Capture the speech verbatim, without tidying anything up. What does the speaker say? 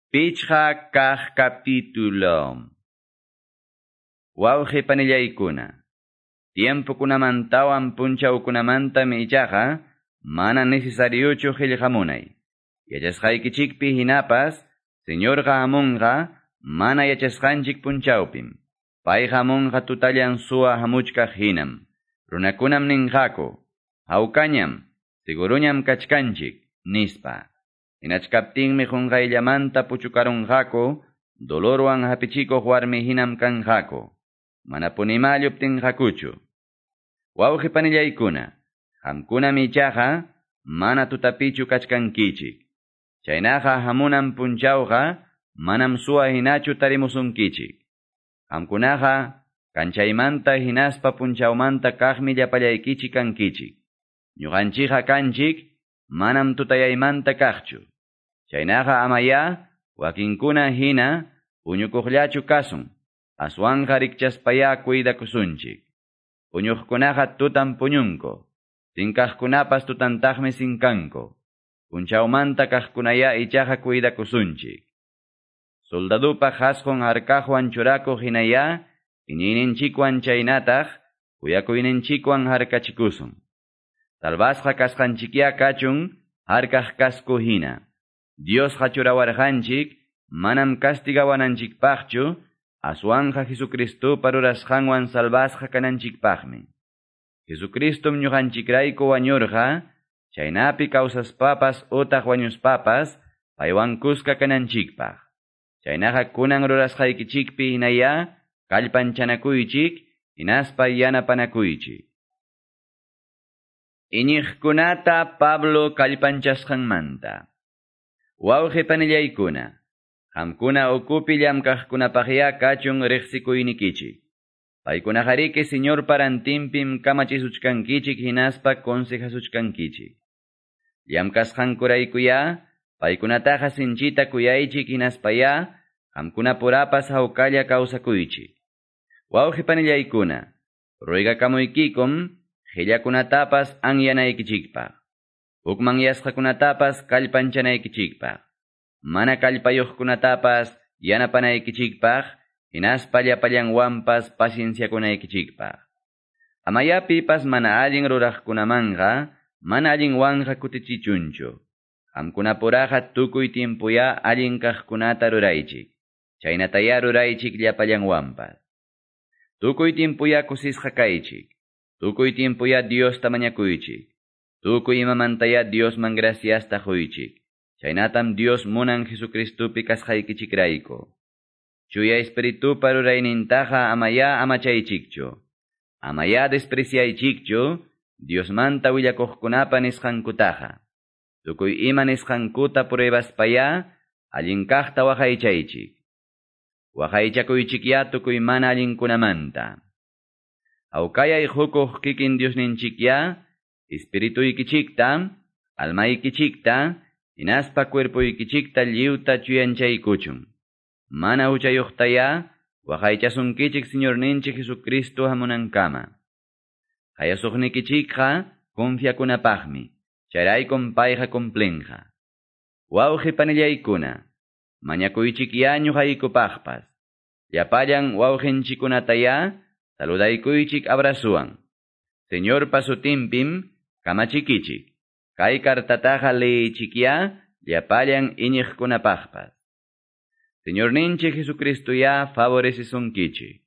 Pichqa kaq capítulo. Wawqi panillaykuna. Tiempokunamantawan punchawkunamantami ichaqa mana necesariochu qillqamunay. Yachasqaykichikpi hinapas, Señorqa hamunqa mana yachasqanchik punchawpim. Payqa hamunqa tutallan suwa hamuchkaq hinam. Runakunam ninqaku, hawkañam, seguruñam kachkanchik, nispa. Hinachkaptinmi qunqayllamanta puchukarunqaku, dolorwan hapichikuq warmi hinam kanqaku. Manapunima lluptinqakuchu. Wawqi panillaykuna, qamkunam ichaqa mana tutapichu kachkankichik. Chaynaqa hamunan punchawqa manam suwa hinachu tarimusunkichik. Qamkunaqa kanchaymanta hinaspa punchawmanta kaqmi llapallaykichik kankichik. Ñuqanchikqa kanchik manam tutayaymanta kaqchu. Chaynaqa amaya wakinkuna hina puñukuqllachu kasun. Aswanqa rikchaspaya cuidakusunchik. Puñuqkunaqa tutan puñunku. Sinkaqkunapas tutantaqmi sinkanku. Punchawmanta kaqkunaya ichaqa cuidakusunchik. Soldadupa qhasqun harkaqwan churakuq hinaya, iñiyninchikwan chaynataq, kuyakuyninchikwan harkachikusun. Salvasqa kasqanchikya kachun, harkaq kasku hina. Diosqa churawarqanchik, manam castigawananchikpaqchu, aswanqa Jesucristopa rurasqanwan salvasqa kananchikpaqmi. Jesucristom ñuqanchikrayku wañurqa, chaynapi kawsaspapas utaq wañuspapas, paywan kuska kananchikpaq. Chaynaqa kunan rurasqaykichikpi hinaya, kallpanchanakuychik, hinaspa yanapanakuychik. Iñiqkunata Pablo kallpanchasqanmanta. Wawqi panillaykuna, qamkuna ukupi llamkaqkunapaqya kachun riqsikuynikichik. Paykunaqariki Señor parantinpim kamachisuchkankichik hinaspa consejasuchkankichik. Llamkasqankuraykuya, paykunataqa sinchita kuyaychik hinaspaya, qamkunapurapas hawkalla kawsakuychik. Wawqi panillaykuna, ruegakamuykikum, qillakunatapas anyanaykichikpaq. Hukmanyasqakunatapas kallpanchanaykichikpaq. Mana kallpayuqkunatapas yanapanaykichikpaq, hinaspa llapallanwanpas pacienciakunaykichikpaq. Amaya pipas mana allin ruraqkunamanqa, mana allinwanqa kutichichunchu. Qamkunapuraqa tukuy tiempoya allin kaqkunata ruraychik. Chaynataya ruraychik llapallanwanpas. Tukuy tiempoya kusisqa kaychik. Tukuy tiempoya Diosta mañakuychik. Tukuy imamantaya Diosman graciasta quychik. Chaynatam Dios munan Jesucristopi kasqaykichikrayku. Chuya Espiritupa ruraynintaqa amaya amachaychikchu. Amaya despreciaychikchu Diosmanta willakuqkunapa nisqankutaqa. Tukuy ima nisqankuta pruebaspaya allin kaqta waqaychaychik. Waqaychakuychikya tukuy mana allinkunamanta. Hawkayay hukuq kikin Diosninchikya, espirituykichikta, almaykichikta, hinaspa cuerpoykichikta lliwta chuyanchaykuchun. Mana huchayuqtaya, waqaychasunkichik Señorninchik Jesucristo hamunankama. Qayasuqnikichikqa confiakunapaqmi, chayraykum payqa cumplinqa. Wawqi panillaykuna, mañakuychikya ñuqaykupaqpas. Llapallan wawqinchikkunataya, saludaykuychik abrazuwan. Señorpa sutinpim kamachikichik. Kay kartataqa leyichikya llapallan iñiqkunapaqpas. Señorninchik Jesucristoya favorecisunkichik.